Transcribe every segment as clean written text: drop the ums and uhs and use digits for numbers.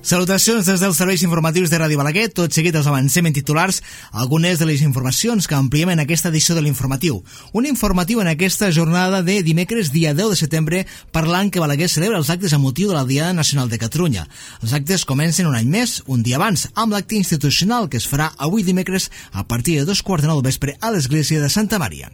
Salutacions des dels serveis informatius de Ràdio Balaguer. Tot seguit els avancem en titulars algunes de les informacions que ampliem en aquesta edició de l'informatiu. Un informatiu en aquesta jornada de dimecres, dia 10 de setembre, parlant que Balaguer celebra els actes amb motiu de la Diada Nacional de Catalunya. Els actes comencen un any més, un dia abans, amb l'acte institucional que es farà avui dimecres a partir de 2:15 del vespre a l'església de Santa Maria.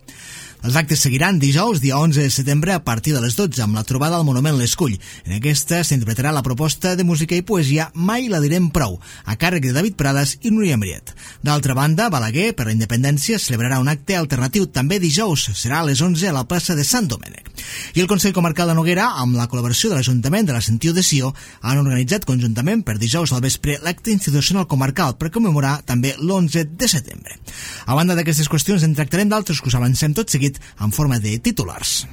Els actes seguiran dijous, dia 11 de setembre, a partir de les 12, amb la trobada al Monument l'Escull. En aquesta s'interpretarà la proposta de música i poesia Mai la direm prou, a càrrec de David Prades i Núria Mariet. D'altra banda, Balaguer, per la independència, celebrarà un acte alternatiu també dijous, serà a les 11 a la plaça de Sant Domènec. I el Consell Comarcal de Noguera, amb la col·laboració de l'Ajuntament de la Sentiu de Sió, han organitzat conjuntament per dijous al vespre l'acte institucional comarcal per commemorar també l'11 de setembre. A banda d'aquestes qüestions, en tractarem d'altres que us avancem tot seguit en forma de titulars.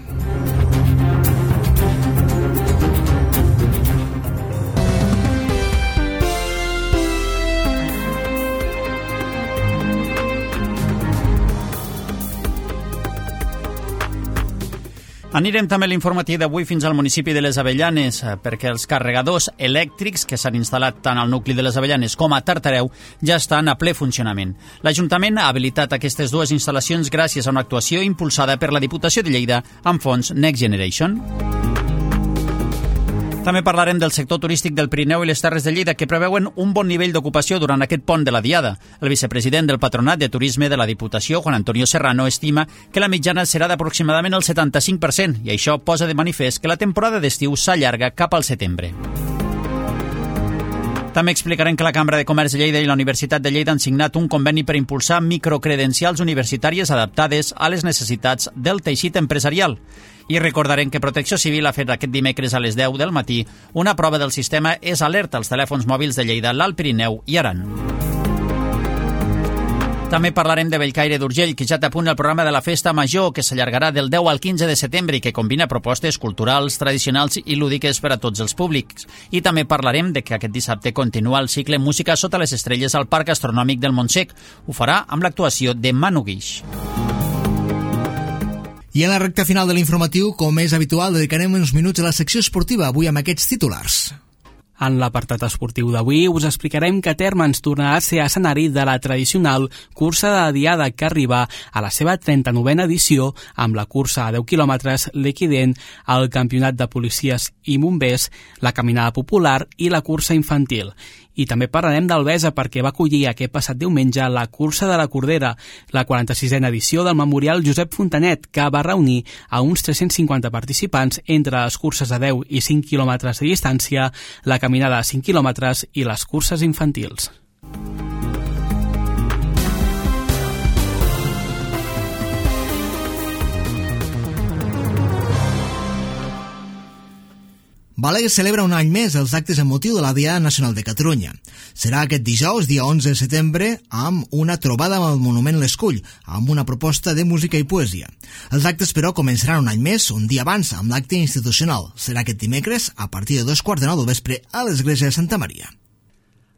Anirem també a l'informatiu d'avui fins al municipi de les Avellanes, perquè els carregadors elèctrics que s'han instal·lat tant al nucli de les Avellanes com a Tartareu ja estan a ple funcionament. L'Ajuntament ha habilitat aquestes dues instal·lacions gràcies a una actuació impulsada per la Diputació de Lleida amb fons Next Generation. També parlarem del sector turístic del Pirineu i les Terres de Lleida, que preveuen un bon nivell d'ocupació durant aquest pont de la Diada. El vicepresident del Patronat de Turisme de la Diputació, Juan Antonio Serrano, estima que la mitjana serà d'aproximadament el 75%, i això posa de manifest que la temporada d'estiu s'allarga cap al setembre. També explicarem que la Cambra de Comerç de Lleida i la Universitat de Lleida han signat un conveni per impulsar microcredencials universitàries adaptades a les necessitats del teixit empresarial. I recordarem que Protecció Civil ha fet aquest dimecres a les 10 del matí una prova del sistema És Alerta als telèfons mòbils de Lleida, l'Alt Pirineu i Aran. També parlarem de Bellcaire d'Urgell, que ja té a punt el programa de la Festa Major, que s'allargarà del 10 al 15 de setembre i que combina propostes culturals, tradicionals i lúdiques per a tots els públics. I també parlarem de que aquest dissabte continua el cicle Música sota les estrelles al Parc Astronòmic del Montsec. Ho farà amb l'actuació de Manu Guix. I en la recta final de l'informatiu, com és habitual, dedicarem uns minuts a la secció esportiva, avui amb aquests titulars. En l'apartat esportiu d'avui us explicarem que Térmens tornarà a ser escenari de la tradicional cursa de Diada, que arriba a la seva 39a edició amb la cursa a 10 quilòmetres, l'Equident, el campionat de policies i bombers, la caminada popular i la cursa infantil. I també parlarem d'Albesa, perquè va acollir aquest passat diumenge la cursa de la Cordera, la 46a edició del Memorial Josep Fontanet, que va reunir a uns 350 participants entre les curses de 10 i 5 quilòmetres de distància, la caminada a 5 quilòmetres i les curses infantils. Balaguer celebra un any més els actes amb motiu de la Diada Nacional de Catalunya. Serà aquest dijous, dia 11 de setembre, amb una trobada amb el Monument l'Escull, amb una proposta de música i poesia. Els actes, però, començaran un any més, un dia abans, amb l'acte institucional. Serà aquest dimecres, a partir de 2:15 del vespre, a l'església de Santa Maria.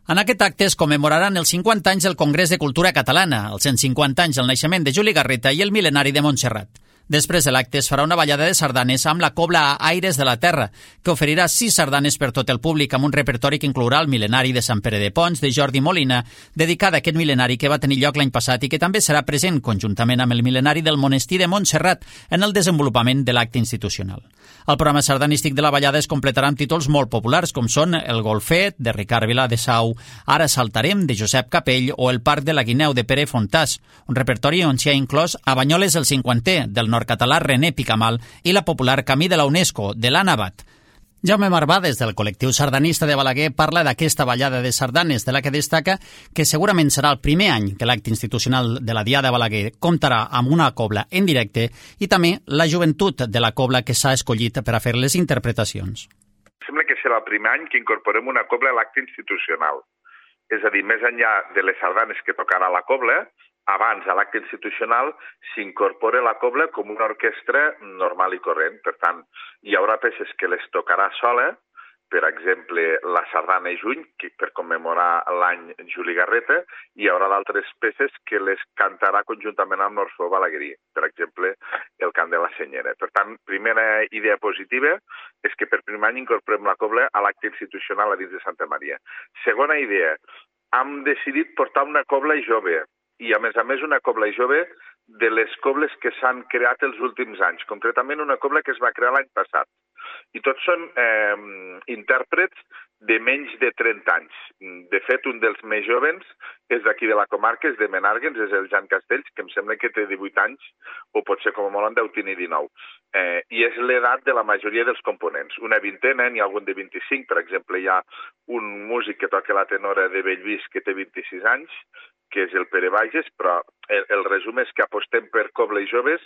En aquest acte es commemoraran els 50 anys del Congrés de Cultura Catalana, els 150 anys del naixement de Juli Garreta i el mil·lenari de Montserrat. Després de l'acte es farà una ballada de sardanes amb la cobla a Aires de la Terra, que oferirà 6 sardanes per tot el públic, amb un repertori que inclourà el mil·lenari de Sant Pere de Pons, de Jordi Molina, dedicat a aquest mil·lenari que va tenir lloc l'any passat i que també serà present, conjuntament amb el mil·lenari del monestir de Montserrat, en el desenvolupament de l'acte institucional. El programa sardanístic de la ballada es completarà amb títols molt populars, com són El Golfet, de Ricard Vilà de Sau, Ara saltarem, de Josep Capell, o El Parc de la Guineu, de Pere Fontàs, un repertori on s'hi ha inclòs A Banyoles el 50è, del nord-català René Picamal, i la popular Camí de la UNESCO, de l'Anna Abad. Jaume Marbà, des del col·lectiu sardanista de Balaguer, parla d'aquesta ballada de sardanes, de la que destaca que segurament serà el primer any que l'acte institucional de la Diada de Balaguer comptarà amb una cobla en directe i també la joventut de la cobla que s'ha escollit per a fer les interpretacions. Sembla que serà el primer any que incorporem una cobla a l'acte institucional. És a dir, més enllà de les sardanes que tocarà la cobla, abans a l'acte institucional s'incorpora la cobla com una orquestra normal i corrent. Per tant, hi haurà peces que les tocarà sola per exemple, la Sardana i Juny, per commemorar l'any Juli Garreta, i hi haurà d'altres peces que les cantarà conjuntament amb l'Orfeó Balaguerí, per exemple, el cant de la Senyera. Per tant, primera idea positiva és que per primer any incorporem la cobla a l'acte institucional a dins de Santa Maria. Segona idea, hem decidit portar una cobla jove, i a més una cobla jove de les cobles que s'han creat els últims anys, concretament una cobla que es va crear l'any passat. I tots són intèrprets de menys de 30 anys. De fet, un dels més jovens és d'aquí de la comarca, és de Menàrguens, és el Jan Castells, que em sembla que té 18 anys, o potser com a molt en deu tenir 19. I és l'edat de la majoria dels components. Una vintena, n'hi ha algun de 25, per exemple, hi ha un músic que toca la tenora de Bellvís que té 26 anys, que és el Pere Bages, però el resum és que apostem per cobles joves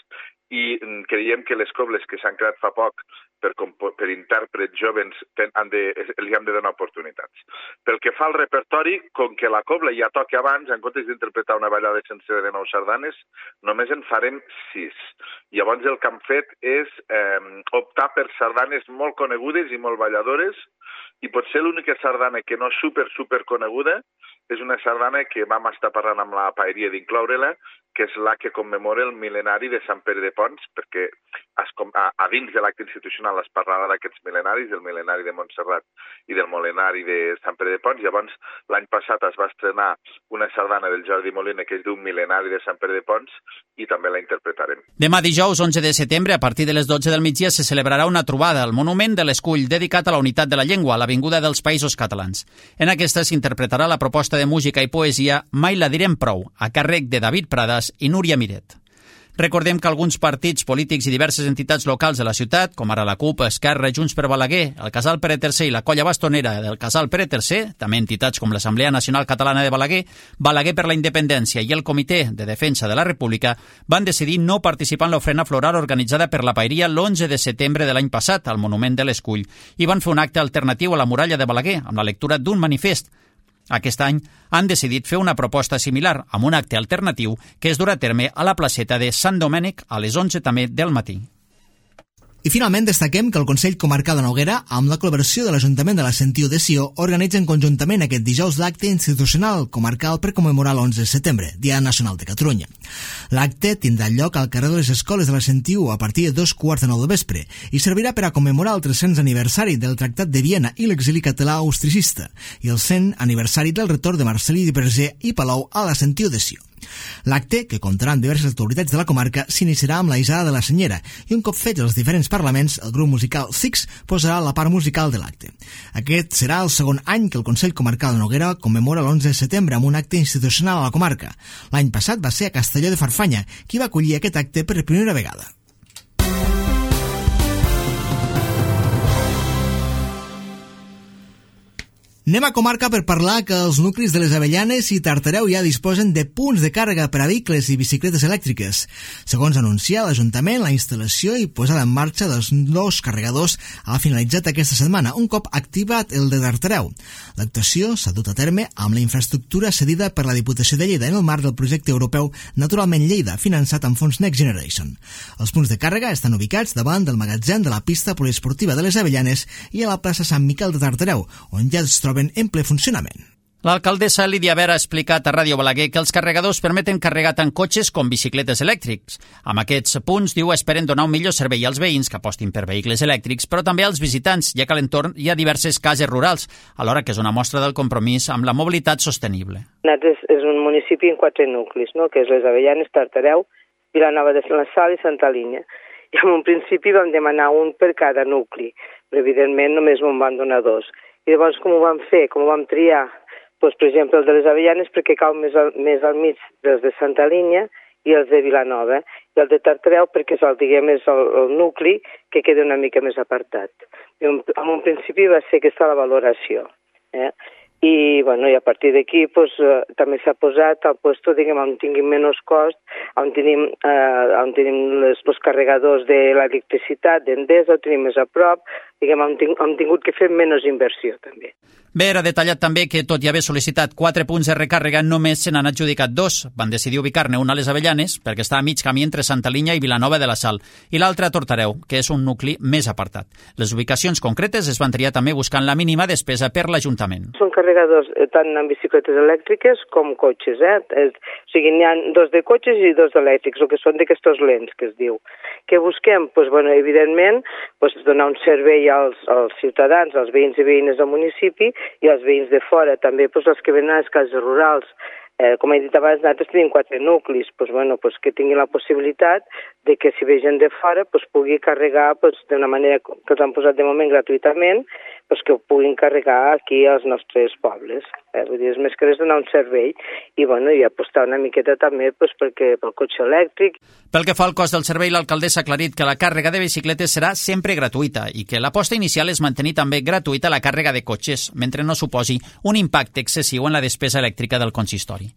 i creiem que les cobles que s'han creat fa poc per intèrprets joves els hem de donar oportunitats. Pel que fa al repertori, com que la cobla ja toca abans, en comptes d'interpretar una ballada sencera de 9 sardanes, només en farem 6. Llavors el que hem fet és optar per sardanes molt conegudes i molt balladores, i potser l'única sardana que no és super coneguda és una sardana que vam estar parlant amb la paeria d'incloure-la, que és la que commemora el mil·lenari de Sant Pere de Pons, perquè a dins de l'acte institucional es parlarà d'aquests mil·lenaris, del mil·lenari de Montserrat i del mil·lenari de Sant Pere de Pons. Llavors, l'any passat es va estrenar una sardana del Jordi Molina que es diu Mil·lenari de Sant Pere de Pons i també la interpretarem. Demà dijous 11 de setembre, a partir de les 12 del migdia, se celebrarà una trobada al Monument de l'Escull dedicat a la unitat de la llengua, a l'Avinguda dels Països Catalans. En aquesta s'interpretarà la proposta de música i poesia Mai la direm prou, a càrrec de David Pradas i Núria Miret. Recordem que alguns partits polítics i diverses entitats locals de la ciutat, com ara la CUP, Esquerra, Junts per Balaguer, el Casal Pere III i la Colla Bastonera del Casal Pere III, també entitats com l'Assemblea Nacional Catalana de Balaguer, Balaguer per la Independència i el Comitè de Defensa de la República, van decidir no participar en l'ofrena floral organitzada per la Paeria l'11 de setembre de l'any passat al Monument de l'Escull i van fer un acte alternatiu a la muralla de Balaguer amb la lectura d'un manifest. Aquest any han decidit fer una proposta similar amb un acte alternatiu que es durà a terme a la placeta de Sant Domènec a les 11 també del matí. I finalment destaquem que el Consell Comarcal de Noguera, amb la col·laboració de l'Ajuntament de la Sentiu de Sió, organitzen conjuntament aquest dijous l'acte institucional comarcal per commemorar l'11 de setembre, Dia Nacional de Catalunya. L'acte tindrà lloc al carrer de les Escoles de la Sentiu a partir de 2:15 del vespre i servirà per a commemorar el 300 aniversari del Tractat de Viena i l'exili català austricista i el 100 aniversari del retorn de Marcel·lí Verger i Palou a la Sentiu de Sió. L'acte, que comptarà amb diverses autoritats de la comarca, s'iniciarà amb la Isada de la Senyera i un cop fets els diferents parlaments, el grup musical Six posarà la part musical de l'acte. Aquest serà el segon any que el Consell Comarcal de Noguera commemora l'11 de setembre amb un acte institucional a la comarca. L'any passat va ser a Castelló de Farfanya qui va acollir aquest acte per primera vegada. Anem a comarca per parlar que els nuclis de les Avellanes i Tartareu ja disposen de punts de càrrega per a vehicles i bicicletes elèctriques. Segons anuncia l'Ajuntament, la instal·lació i posada en marxa dels nous carregadors ha finalitzat aquesta setmana, un cop activat el de Tartareu. L'actuació s'ha dut a terme amb la infraestructura cedida per la Diputació de Lleida en el marc del projecte europeu Naturalment Lleida, finançat amb fons Next Generation. Els punts de càrrega estan ubicats davant del magatzem de la pista poliesportiva de les Avellanes i a la plaça Sant Miquel de Tartareu, on ja es troben en ple funcionament. L'alcaldessa Lídia Vera ha explicat a Ràdio Balaguer que els carregadors permeten carregar tant cotxes com bicicletes elèctrics. Amb aquests punts, diu, esperen donar un millor servei als veïns que apostin per vehicles elèctrics, però també als visitants, ja que a l'entorn hi ha diverses cases rurals, alhora que és una mostra del compromís amb la mobilitat sostenible. És un municipi en 4 nuclis, no? Que és les Avellanes, Tartareu, Vilanova de la Sal i Santa Linya. I en un principi vam demanar un per cada nucli, però evidentment només me'n van donar 2. I llavors com ho vam fer? Com ho vam triar? Doncs, per exemple, el de les Avellanes perquè cau més al mig dels de Santa Línia i els de Vilanova. I el de Tartareu perquè és el nucli que queda una mica més apartat. I en un principi va ser aquesta la valoració. I a partir d'aquí també s'ha posat al lloc, diguem, on tinguin menys cost, on tenim els carregadors de l'electricitat d'Endesa, ho tenim més a prop, diguem, on tingut que fer menys inversió també. Bé, era detallat també que, tot i haver sol·licitat 4 punts de recàrrega, només se n'han adjudicat 2. Van decidir ubicar-ne un a les Avellanes, perquè està a mig camí entre Santa Linya i Vilanova de la Sal, i l'altre a Tortareu, que és un nucli més apartat. Les ubicacions concretes es van triar també buscant la mínima despesa per l'Ajuntament. Són carregadors tant en bicicletes elèctriques com cotxes. O sigui, n'hi ha 2 de cotxes i 2 elèctrics, o que són d'aquestos lents, que es diu. Què busquem? Evidentment, donar un servei als ciutadans, als veïns i veïnes del municipi, i els veïns de fora, també els que venen a les cases rurals. Com he dit abans, nosaltres tenim 4 nuclis, que tinguin la possibilitat de que si ve gent de fora pugui carregar d'una manera que els han posat de moment gratuïtament, que ho puguin carregar aquí als nostres pobles. Vull dir, és més que res donar un servei i apostar una miqueta també pel cotxe elèctric. Pel que fa al cost del servei, l'alcaldessa ha aclarit que la càrrega de bicicletes serà sempre gratuïta i que l'aposta inicial és mantenir també gratuïta la càrrega de cotxes, mentre no suposi un impacte excessiu en la despesa elèctrica del consistori.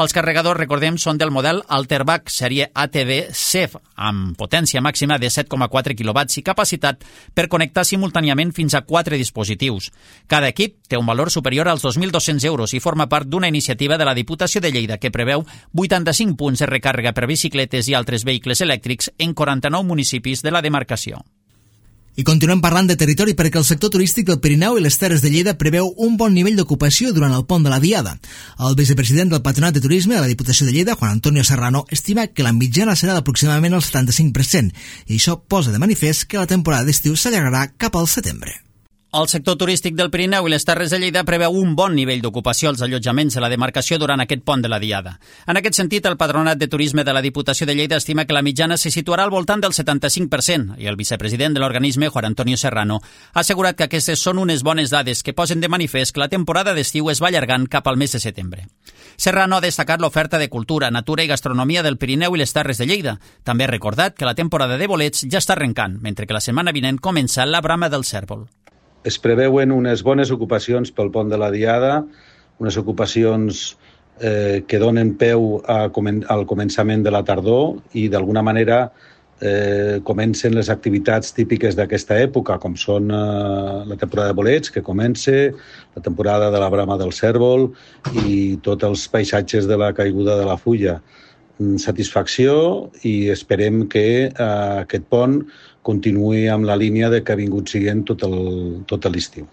Els carregadors, recordem, són del model Alterbach sèrie ATV CEF, amb potència màxima de 7,4 kW i capacitat per connectar simultàniament fins a 4 dispositius. Cada equip té un valor superior als 2.200 euros i forma part d'una iniciativa de la Diputació de Lleida que preveu 85 punts de recàrrega per bicicletes i altres vehicles elèctrics en 49 municipis de la demarcació. I continuem parlant de territori perquè el sector turístic del Pirineu i les Terres de Lleida preveu un bon nivell d'ocupació durant el pont de la Diada. El vicepresident del Patronat de Turisme de la Diputació de Lleida, Juan Antonio Serrano, estima que la mitjana serà d'aproximadament el 75% i això posa de manifest que la temporada d'estiu s'allargarà cap al setembre. El sector turístic del Pirineu i les Terres de Lleida preveu un bon nivell d'ocupació als allotjaments de la demarcació durant aquest pont de la Diada. En aquest sentit, el Patronat de Turisme de la Diputació de Lleida estima que la mitjana se situarà al voltant del 75% i el vicepresident de l'organisme, Juan Antonio Serrano, ha assegurat que aquestes són unes bones dades que posen de manifest que la temporada d'estiu es va allargant cap al mes de setembre. Serrano ha destacat l'oferta de cultura, natura i gastronomia del Pirineu i les Terres de Lleida. També ha recordat que la temporada de bolets ja està arrencant, mentre que la setmana vinent comença la brama del cèrvol. Es preveuen unes bones ocupacions pel pont de la Diada, unes ocupacions que donen peu al començament de la tardor i d'alguna manera comencen les activitats típiques d'aquesta època, com són la temporada de bolets, que comença, la temporada de la brama del cèrvol i tots els paisatges de la caiguda de la fulla. Satisfacció i esperem que aquest pont continuï amb la línia de que ha vingut siguent tot l'estiu.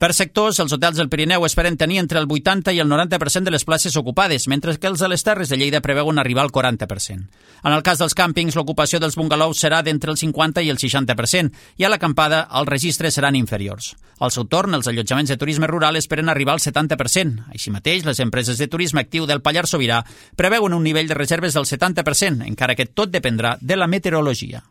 Per sectors, els hotels del Pirineu esperen tenir entre el 80 i el 90% de les places ocupades, mentre que els de les Terres de Lleida preveuen arribar al 40%. En el cas dels càmpings, l'ocupació dels bungalows serà d'entre el 50 i el 60%, i a l'acampada els registres seran inferiors. Al seu torn, els allotjaments de turisme rural esperen arribar al 70%. Així mateix, les empreses de turisme actiu del Pallars Sobirà preveuen un nivell de reserves del 70%, encara que tot dependrà de la meteorologia.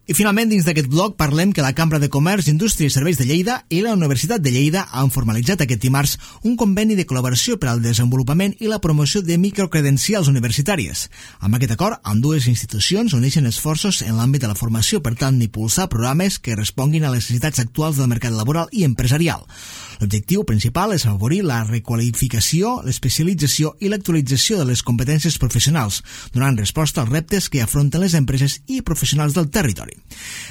I finalment, dins d'aquest bloc, parlem que la Cambra de Comerç, Indústria i Serveis de Lleida i la Universitat de Lleida han formalitzat aquest dimarts un conveni de col·laboració per al desenvolupament i la promoció de microcredencials universitàries. Amb aquest acord, ambdues institucions uneixen esforços en l'àmbit de la formació per tal d'impulsar programes que responguin a les necessitats actuals del mercat laboral i empresarial. L'objectiu principal és afavorir la requalificació, l'especialització i l'actualització de les competències professionals, donant resposta als reptes que afronten les empreses i professionals del territori.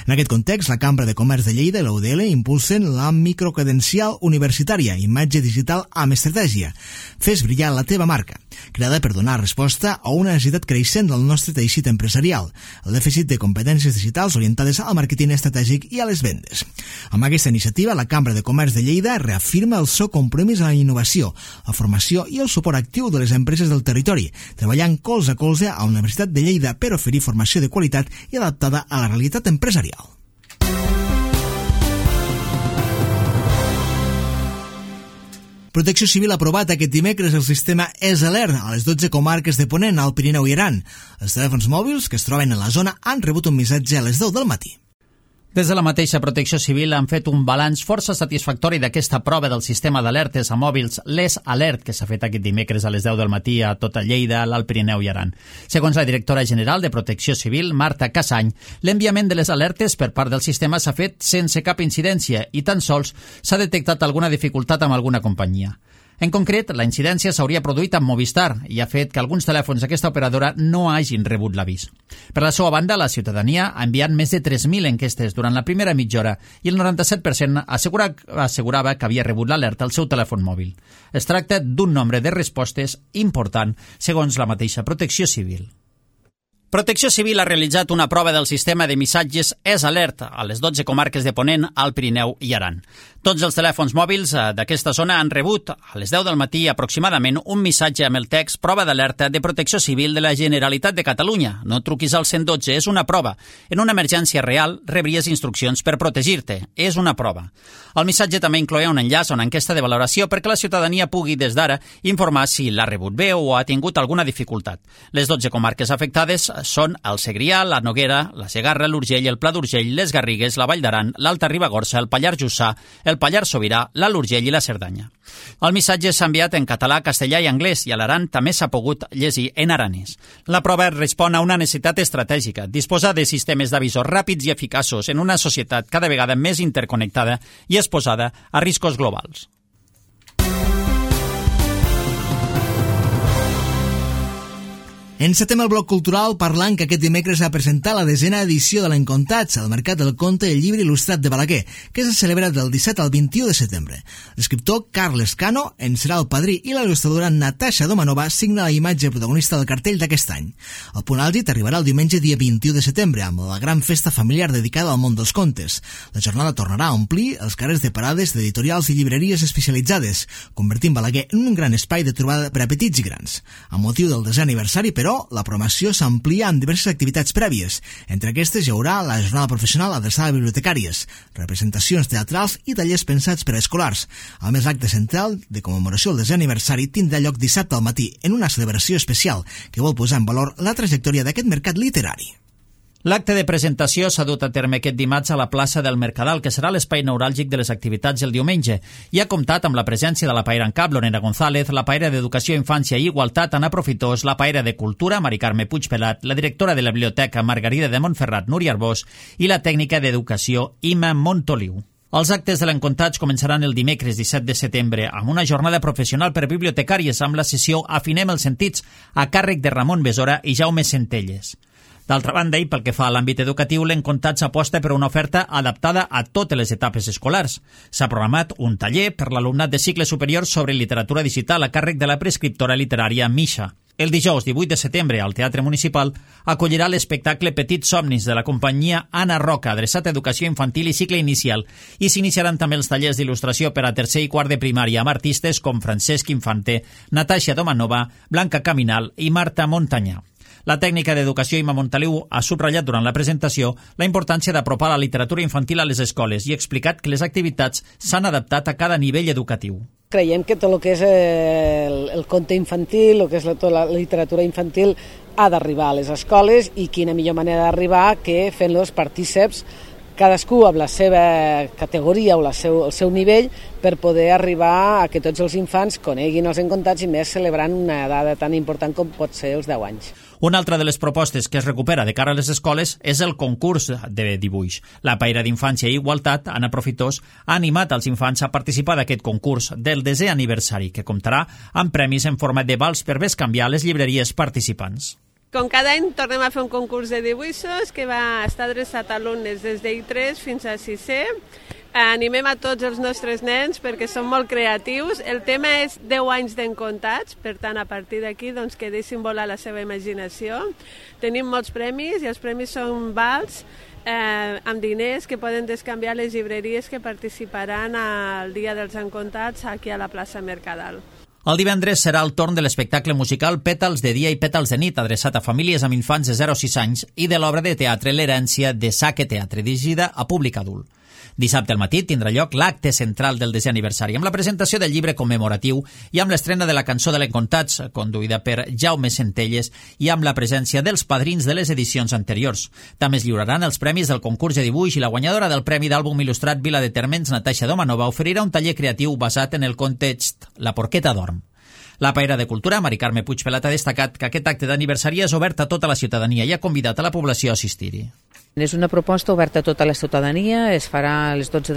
En aquest context, la Cambra de Comerç de Lleida i la UDL impulsen la microcredencial universitària, imatge digital amb estratègia. Fes brillar la teva marca, creada per donar resposta a una necessitat creixent del nostre teixit empresarial, el dèficit de competències digitals orientades al màrqueting estratègic i a les vendes. Amb aquesta iniciativa, la Cambra de Comerç de Lleida reafirma el seu compromís a la innovació, la formació i el suport actiu de les empreses del territori, treballant colze a colze a la Universitat de Lleida per oferir formació de qualitat i adaptada a la realitat empresarial. Protecció Civil ha aprovat aquest dimecres el sistema EsAlert a les 12 comarques de Ponent, al Pirineu i Aran. Els telèfons mòbils que es troben a la zona han rebut un missatge a les 10 del matí. Des de la mateixa Protecció Civil han fet un balanç força satisfactori d'aquesta prova del sistema d'alertes a mòbils l'EsAlert, que s'ha fet aquest dimecres a les 10 del matí a tota Lleida, l'Alt Pirineu i Aran. Segons la directora general de Protecció Civil, Marta Casany, l'enviament de les alertes per part del sistema s'ha fet sense cap incidència i tan sols s'ha detectat alguna dificultat amb alguna companyia. En concret, la incidència s'hauria produït amb Movistar i ha fet que alguns telèfons d'aquesta operadora no hagin rebut l'avís. Per la seva banda, la ciutadania ha enviat més de 3.000 enquestes durant la primera mitja hora i el 97% assegurava que havia rebut l'alerta al seu telèfon mòbil. Es tracta d'un nombre de respostes important, segons la mateixa Protecció Civil. Protecció Civil ha realitzat una prova del sistema de missatges S-Alert a les 12 comarques de Ponent, Alt Pirineu i Aran. Tots els telèfons mòbils d'aquesta zona han rebut a les 10 del matí aproximadament un missatge amb el text prova d'alerta de Protecció Civil de la Generalitat de Catalunya. No truquis al 112, és una prova. En una emergència real rebries instruccions per protegir-te. És una prova. El missatge també incloïa un enllaç a una enquesta de valoració perquè la ciutadania pugui des d'ara informar si l'ha rebut bé o ha tingut alguna dificultat. Les 12 comarques afectades són el Segrià, la Noguera, la Segarra, l'Urgell, el Pla d'Urgell, les Garrigues, la Vall d'Aran, l'Alta Ribagorça, el Pallars Jussà, el Pallars Sobirà, l'Alt Urgell i la Cerdanya. El missatge s'ha enviat en català, castellà i anglès i a l'Aran també s'ha pogut llegir en aranès. La prova respon a una necessitat estratègica, disposar de sistemes d'avisos ràpids i eficaços en una societat cada vegada més interconnectada i exposada a riscos globals. Encetem el bloc cultural parlant que aquest dimecres ha presentat la 10a edició de l'Encontats al Mercat del Conte i el Llibre Il·lustrat de Balaguer, que se celebra del 17 al 21 de setembre. L'escriptor Carles Cano en serà el padrí i la il·lustradora Natasha Domanova signa la imatge protagonista del cartell d'aquest any. El punt àlgid arribarà el diumenge dia 21 de setembre amb la gran festa familiar dedicada al món dels contes. La jornada tornarà a omplir els carrers de parades d'editorials i llibreries especialitzades, convertint Balaguer en un gran espai de trobada per a petits i grans. A motiu del 10è aniversari, però, la programació s'amplia amb diverses activitats prèvies. Entre aquestes hi haurà la jornada professional adreçada a bibliotecàries, representacions teatrals i tallers pensats per a escolars. A més, l'acte central de commemoració del 10è aniversari tindrà lloc dissabte al matí en una celebració especial que vol posar en valor la trajectòria d'aquest mercat literari. L'acte de presentació s'ha dut a terme aquest dimarts a la plaça del Mercadal, que serà l'espai neuràlgic de les activitats el diumenge, i ha comptat amb la presència de la paera en cap, Lorena González, la paera d'Educació, Infància i Igualtat, Anna Profitós, la paera de Cultura, Mari Carme Puigpelat, la directora de la Biblioteca, Margarida de Montferrat, Núria Arbós, i la tècnica d'Educació, Ima Montoliu. Els actes de l'Encontats començaran el dimecres 17 de setembre amb una jornada professional per bibliotecàries amb la sessió Afinem els sentits a càrrec de Ramon Besora i Jaume Centelles. D'altra banda, i pel que fa a l'àmbit educatiu, l'Encontats aposta per una oferta adaptada a totes les etapes escolars. S'ha programat un taller per l'alumnat de cicle superior sobre literatura digital a càrrec de la prescriptora literària Misha. El dijous 18 de setembre al Teatre Municipal acollirà l'espectacle Petits somnis de la companyia Anna Roca, adreçat a educació infantil i cicle inicial, i s'iniciaran també els tallers d'il·lustració per a tercer i quart de primària amb artistes com Francesc Infante, Natasha Domanova, Blanca Caminal i Marta Montanyà. La tècnica d'educació Ima Montoliu ha subratllat durant la presentació la importància d'apropar la literatura infantil a les escoles i ha explicat que les activitats s'han adaptat a cada nivell educatiu. Creiem que tot el que és el conte infantil, el que és tota la literatura infantil, ha d'arribar a les escoles i quina millor manera d'arribar que fent-los partíceps cadascú amb la seva categoria o el seu nivell per poder arribar a que tots els infants coneguin els Encontats i més celebrant una dada tan important com pot ser els 10 anys. Una altra de les propostes que es recupera de cara a les escoles és el concurs de dibuix. La paella d'Infància i Igualtat, Anna Profitós, ha animat els infants a participar d'aquest concurs del 10è aniversari, que comptarà amb premis en format de vals per bescanviar a les llibreries participants. Com cada any tornem a fer un concurs de dibuixos que va estar adreçat a alumnes des d'I3 fins a 6è. Animem a tots els nostres nens perquè són molt creatius. El tema és 10 anys d'Encontats, per tant, a partir d'aquí doncs, que deixin volar la seva imaginació. Tenim molts premis i els premis són vals amb diners que poden descanviar les llibreries que participaran al Dia dels Encontats aquí a la plaça Mercadal. El divendres serà el torn de l'espectacle musical Pètals de dia i pètals de nit, adreçat a famílies amb infants de 0 a 6 anys, i de l'obra de teatre L'herència de Saque Teatre, dirigida a públic adult. Dissabte al matí tindrà lloc l'acte central del 10è aniversari, amb la presentació del llibre commemoratiu i amb l'estrena de la cançó de l'Encontats, conduïda per Jaume Centelles, i amb la presència dels padrins de les edicions anteriors. També es lliuraran els premis del concurs de dibuix i la guanyadora del Premi d'Àlbum Il·lustrat Vila de Térmens, Natasha Domanova, oferirà un taller creatiu basat en el context La porqueta dorm. La paera de Cultura, Mari Carme Puigpelat, ha destacat que aquest acte d'aniversari és obert a tota la ciutadania i ha convidat a la població a assistir-hi. És una proposta oberta a tota la ciutadania, es farà a les 12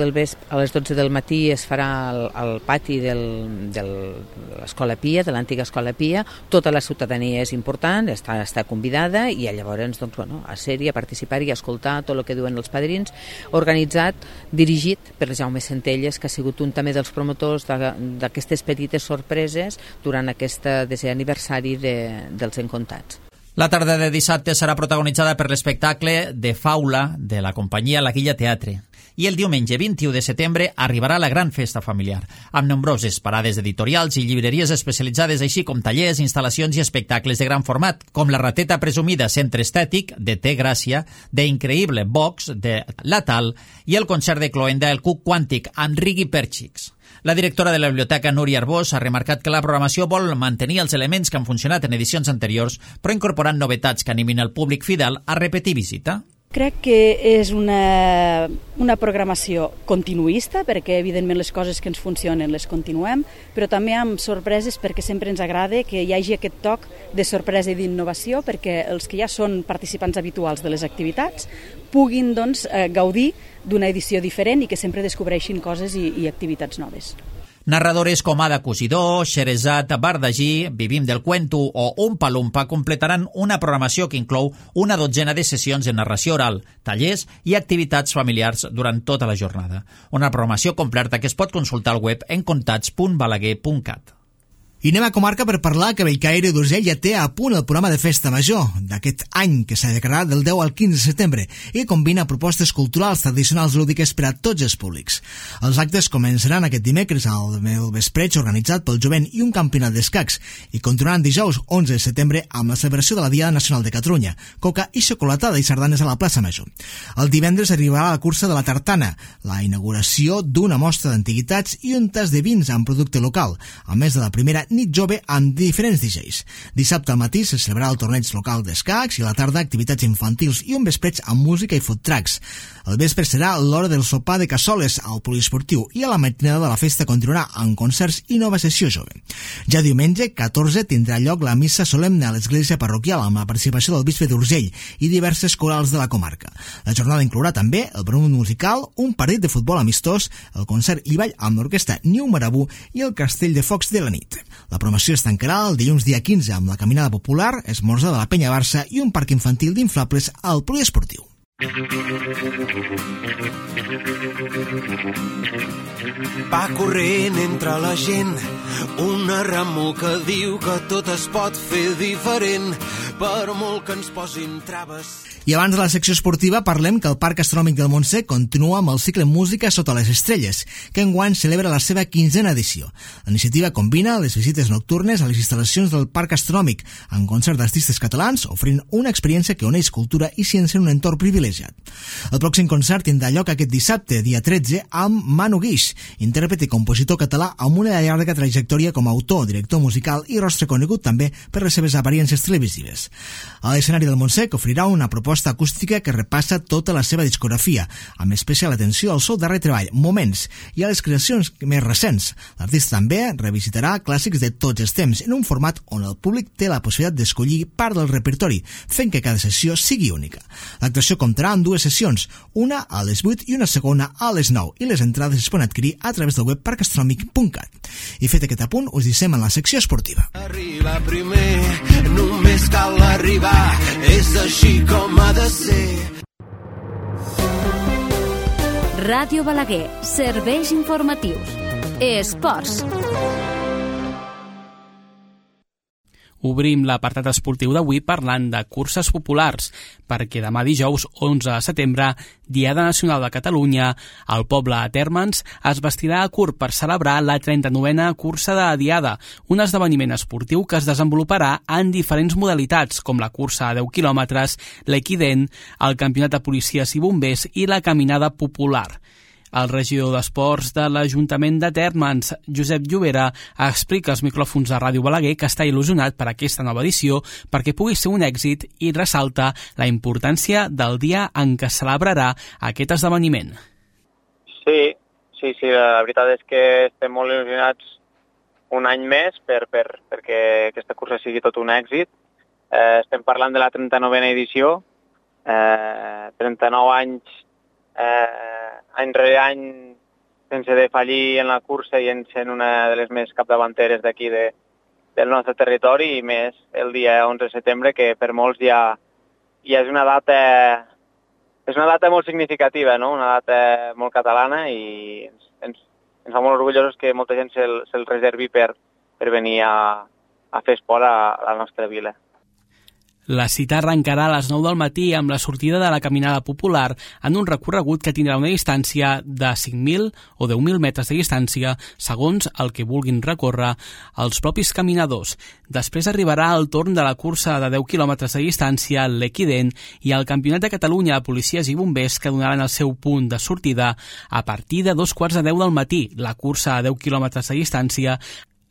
del matí, es farà al pati de l'Escola Pia, de l'antiga Escola Pia. Tota la ciutadania és important, està convidada i llavors a ser-hi, a participar i a escoltar tot el que diuen els padrins, organitzat, dirigit per Jaume Centelles, que ha sigut un també dels promotors d'aquestes petites sorpreses durant aquest 10è aniversari dels Encontats. La tarda de dissabte serà protagonitzada per l'espectacle de Faula de la companyia La Guilla Teatre. I el diumenge 21 de setembre arribarà la gran festa familiar, amb nombroses parades editorials i llibreries especialitzades, així com tallers, instal·lacions i espectacles de gran format, com la rateta presumida Centre Estètic, de Té Gràcia, de Increïble Box, de La Tal, i el concert de cloenda El Cuc Quàntic, amb Rigui Perchix. La directora de la biblioteca, Núria Arbós, ha remarcat que la programació vol mantenir els elements que han funcionat en edicions anteriors, però incorporant novetats que animin el públic fidel a repetir visita. Crec que és una programació continuista, perquè evidentment les coses que ens funcionen les continuem, però també amb sorpreses, perquè sempre ens agrada que hi hagi aquest toc de sorpresa i d'innovació, perquè els que ja són participants habituals de les activitats puguin gaudir d'una edició diferent i que sempre descobreixin coses i activitats noves. Narradores com Ada Cosidó, Xerezat Bardagí, Vivim del Cuento o Umpa Lumpa completaran una programació que inclou una dotzena de sessions de narració oral, tallers i activitats familiars durant tota la jornada. Una programació completa que es pot consultar al web encontats.balaguer.cat. I anem a comarca per parlar que Bellcaire d'Urgell ja té a punt el programa de Festa Major d'aquest any, que s'ha declarat del 10 al 15 de setembre i combina propostes culturals, tradicionals i lúdiques per a tots els públics. Els actes començaran aquest dimecres al vespreig organitzat pel jovent i un campionat d'escacs i continuaran dijous 11 de setembre amb la celebració de la Diada Nacional de Catalunya, coca i xocolatada i sardanes a la plaça Major. El divendres arribarà la cursa de la tartana, la inauguració d'una mostra d'antiguitats i un tas de vins amb producte local, a més de la primera nit jove amb diferents DJs. Dissabte al matí se celebrarà el torneig local d'escacs i a la tarda activitats infantils i un vespreig amb música i food trucks. El vespre serà l'hora del sopar de cassoles al poliesportiu i a la matinada de la festa continuarà amb concerts i nova sessió jove. Ja diumenge 14 tindrà lloc la missa solemne a l'església parroquial amb la participació del bisbe d'Urgell i diverses corals de la comarca. La jornada inclourà també el programa musical, un partit de futbol amistós, el concert i ball amb l'orquestra Niu Marabú i el castell de focs de la nit. La promoció es tancarà el dilluns dia 15 amb la caminada popular, esmorzar de la Penya Barça i un parc infantil d'inflables al poliesportiu. Va corrent entre la gent una remor que diu que tot es pot fer diferent, per molt que ens posin traves. I abans de la secció esportiva parlem que el Parc Astronòmic del Montsec continua amb el cicle Música sota les estrelles, que enguany celebra la seva 15a edició. La iniciativa combina les visites nocturnes a les instal·lacions del Parc Astronòmic amb concert d'artistes catalans, oferint una experiència que uneix cultura i ciència en un entorn privilegiat. El pròxim concert tindrà lloc aquest dissabte, dia 13, amb Manu Guix, intèrpret i compositor català amb una llarga trajectòria com a autor, director musical i rostre conegut també per les seves apariències televisives. A l'escenari del Montsec oferirà una proposta acústica que repassa tota la seva discografia, amb especial atenció al seu darrer treball, Moments, i a les creacions més recents. L'artista també revisitarà clàssics de tots els temps en un format on el públic té la possibilitat d'escollir part del repertori, fent que cada sessió sigui única. L'actuació comptarà amb dues sessions, una a les 8 i una segona a les 9, i les entrades es poden adquirir a través del web parcastronòmic.cat. I fet aquest apunt, us deixem en la secció esportiva. Arribar primer, només cal arribar, és així com ha de ser. Ràdio Balaguer, serveis informatius. Esports. Obrim l'apartat esportiu d'avui parlant de curses populars, perquè demà dijous 11 de setembre, Diada Nacional de Catalunya, el poble de Térmens es vestirà a curt per celebrar la 39a cursa de la Diada, un esdeveniment esportiu que es desenvoluparà en diferents modalitats, com la cursa a 10 quilòmetres, l'equident, el campionat de policies i bombers i la caminada popular. El regidor d'Esports de l'Ajuntament de Térmens, Josep Llobera, explica als micròfons de Ràdio Balaguer que està il·lusionat per aquesta nova edició perquè pugui ser un èxit i ressalta la importància del dia en què celebrarà aquest esdeveniment. Sí, la veritat és que estem molt il·lusionats un any més perquè aquesta cursa sigui tot un èxit. Estem parlant de la 39a edició 39 anys, any rere any, sense defallir en la cursa i sent una de les més capdavanteres d'aquí del nostre territori, i més el dia 11 de setembre, que per molts ja és una data molt significativa, no? Una data molt catalana, i ens fa molt orgullosos que molta gent se'l reservi per venir a fer esport a la nostra vila. La cita arrencarà a les 9 del matí amb la sortida de la caminada popular en un recorregut que tindrà una distància de 5.000 o 10.000 metres de distància, segons el que vulguin recórrer els propis caminadors. Després arribarà el torn de la cursa de 10 quilòmetres de distància, l'Equident, i el Campionat de Catalunya de Policies i Bombers, que donaran el seu punt de sortida a partir de 2:15 del matí. La cursa a 10 quilòmetres de distància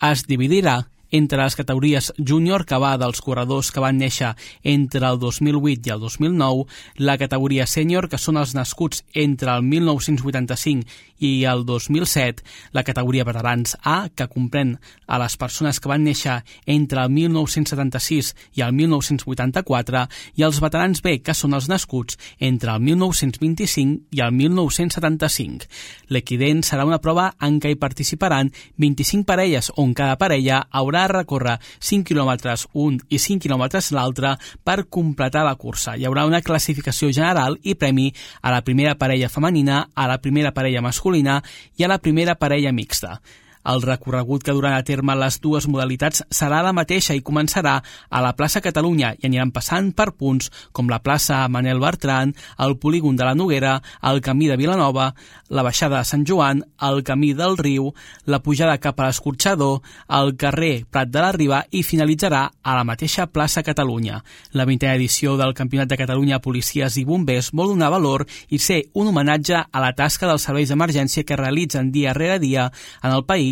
es dividirà entre les categories júnior, que va dels corredors que van néixer entre el 2008 i el 2009, la categoria sènior, que són els nascuts entre el 1985 i el 2007, la categoria veterans A, que comprèn a les persones que van néixer entre el 1976 i el 1984, i els veterans B, que són els nascuts entre el 1925 i el 1975. L'Equident serà una prova en què hi participaran 25 parelles, on cada parella haurà de recórrer 5 quilòmetres un i 5 quilòmetres l'altre per completar la cursa. Hi haurà una classificació general i premi a la primera parella femenina, a la primera parella masculina i a la primera parella mixta. El recorregut que duran a terme les dues modalitats serà la mateixa i començarà a la plaça Catalunya i aniran passant per punts com la plaça Manel Bertran, el polígon de la Noguera, el camí de Vilanova, la baixada de Sant Joan, el camí del Riu, la pujada cap a l'Escorxador, el carrer Prat de la Riba i finalitzarà a la mateixa plaça Catalunya. La 20a edició del Campionat de Catalunya Policies i Bombers vol donar valor i ser un homenatge a la tasca dels serveis d'emergència que realitzen dia rere dia en el país,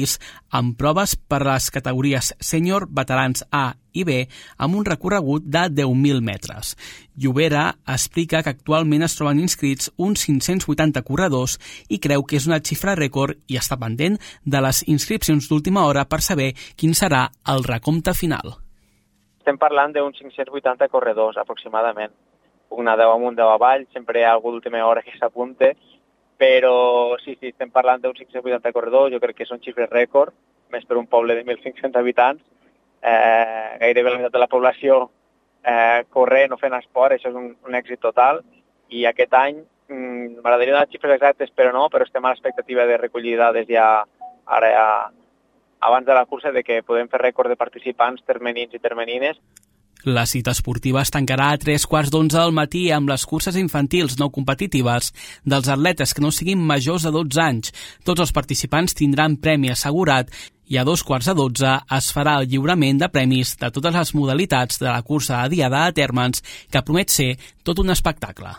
amb proves per a les categories sènior, veterans A i B, amb un recorregut de 10.000 metres. Llobera explica que actualment es troben inscrits uns 580 corredors i creu que és una xifra rècord i està pendent de les inscripcions d'última hora per saber quin serà el recompte final. Estem parlant d'uns 580 corredors, aproximadament. Una 10 amunt, 10 avall, sempre hi ha algú d'última hora que s'apunte, però sí, estem parlant d'uns 580 corredors, jo crec que són xifres rècord, més per un poble de 1.500 habitants, gairebé la meitat de la població corrent o fent esport, això és un èxit total, i aquest any m'agradaria donar xifres exactes, però estem a l'expectativa de recollir dades ja abans de la cursa de que podem fer rècord de participants termenins i termenines. La cita esportiva es tancarà a 11:15 del matí amb les curses infantils no competitives dels atletes que no siguin majors de 12 anys. Tots els participants tindran premi assegurat i a 11:15 es farà el lliurament de premis de totes les modalitats de la cursa de Diada a Térmens, que promet ser tot un espectacle.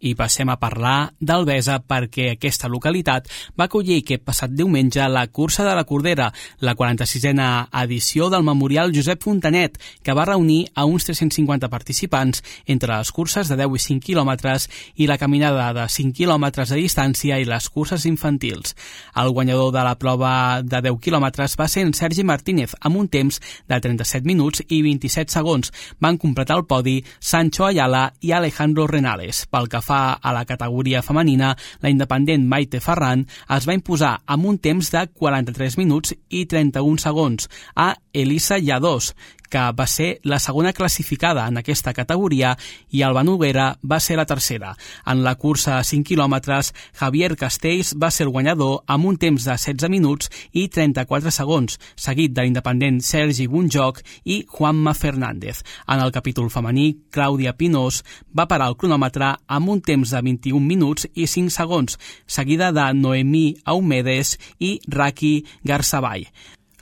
I passem a parlar d'Albesa perquè aquesta localitat va acollir aquest passat diumenge la Cursa de la Cordera, la 46a edició del Memorial Josep Fontanet, que va reunir a uns 350 participants entre les curses de 10 i 5 quilòmetres i la caminada de 5 quilòmetres de distància i les curses infantils. El guanyador de la prova de 10 quilòmetres va ser en Sergi Martínez, amb un temps de 37 minuts i 27 segons. Van completar el podi Sancho Ayala i Alejandro Renales. Pel que fa a la categoria femenina, la independent Maite Ferran es va imposar amb un temps de 43 minuts i 31 segons a Elisa Lladós, que va ser la segona classificada en aquesta categoria, i Alba Noguera va ser la tercera. En la cursa de 5 quilòmetres, Javier Castells va ser el guanyador amb un temps de 16 minuts i 34 segons, seguit de l'independent Sergi Bunjoc i Juanma Fernández. En el capítol femení, Clàudia Pinós va parar el cronòmetre amb un temps de 21 minuts i 5 segons, seguida de Noemí Aumedes i Raki Garzaball.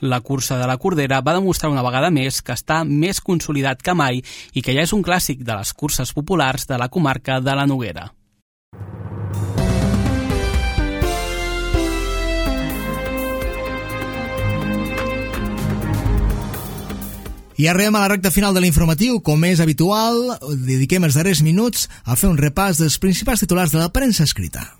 La cursa de la Cordera va demostrar una vegada més que està més consolidat que mai i que ja és un clàssic de les curses populars de la comarca de la Noguera. I arribem a la recta final de l'informatiu. Com és habitual, dediquem els darrers minuts a fer un repàs dels principals titulars de la premsa escrita.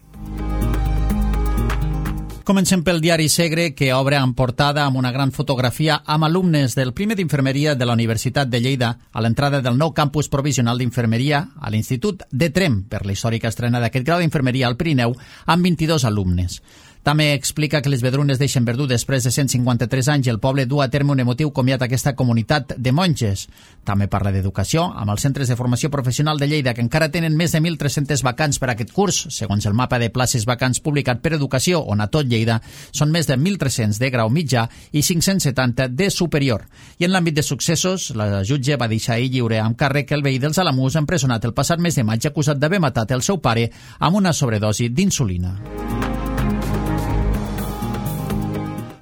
Comencem pel diari Segre, que obre en portada amb una gran fotografia amb alumnes del primer d'infermeria de la Universitat de Lleida a l'entrada del nou campus provisional d'infermeria a l'Institut de Tremp per la històrica estrena d'aquest grau d'infermeria al Pirineu amb 22 alumnes. També explica que les Vedrunes deixen Verdú després de 153 anys i el poble du a terme un emotiu comiat a aquesta comunitat de monges. També parla d'educació, amb els centres de formació professional de Lleida, que encara tenen més de 1.300 vacants per a aquest curs. Segons el mapa de places vacants publicat per Educació, on a tot Lleida són més de 1.300 de grau mitjà i 570 de superior. I en l'àmbit de successos, la jutge va deixar ahir lliure amb càrrec el veí dels Alamús empresonat el passat mes de maig acusat d'haver matat el seu pare amb una sobredosi d'insulina.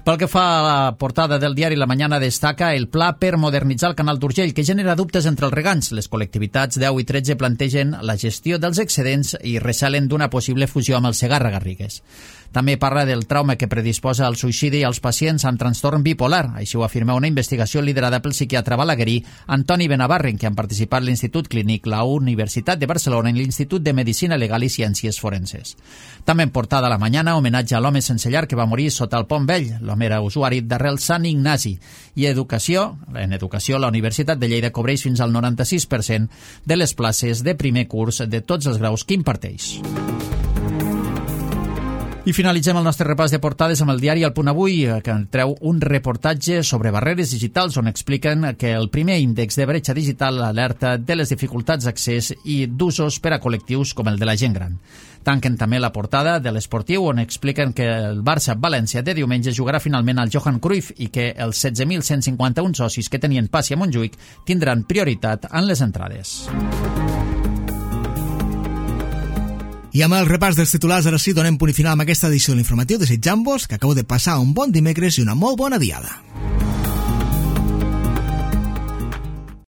Pel que fa a la portada del diari La Mañana, destaca el pla per modernitzar el canal d'Urgell, que genera dubtes entre els regants. Les col·lectivitats 10 i 13 plantegen la gestió dels excedents i recelen d'una possible fusió amb el Segarra-Garrigues. També parla del trauma que predisposa al suïcidi als pacients amb trastorn bipolar. Així ho afirma una investigació liderada pel psiquiatre balaguerí Antoni Benavarre, en què han participat l'Institut Clínic, la Universitat de Barcelona i l'Institut de Medicina Legal i Ciències Forenses. També en portada a La Mañana, homenatge a l'home sense llar que va morir sota el Pont Vell. L'home era usuari d'arrel Sant Ignasi. I en educació, la Universitat de Lleida cobreix fins al 96% de les places de primer curs de tots els graus que imparteix. I finalitzem el nostre repàs de portades amb el diari El Punt Avui, que treu un reportatge sobre barreres digitals on expliquen que el primer índex de bretxa digital alerta de les dificultats d'accés i d'usos per a col·lectius com el de la gent gran. Tanquen també la portada de l'Esportiu, on expliquen que el Barça-València de diumenge jugarà finalment al Johan Cruyff i que els 16.151 socis que tenien passi a Montjuïc tindran prioritat en les entrades. I amb el repàs dels titulars, ara sí, donem punt i final amb aquesta edició de l'informatiu, desitjant-vos que acabeu de passar un bon dimecres i una molt bona diada.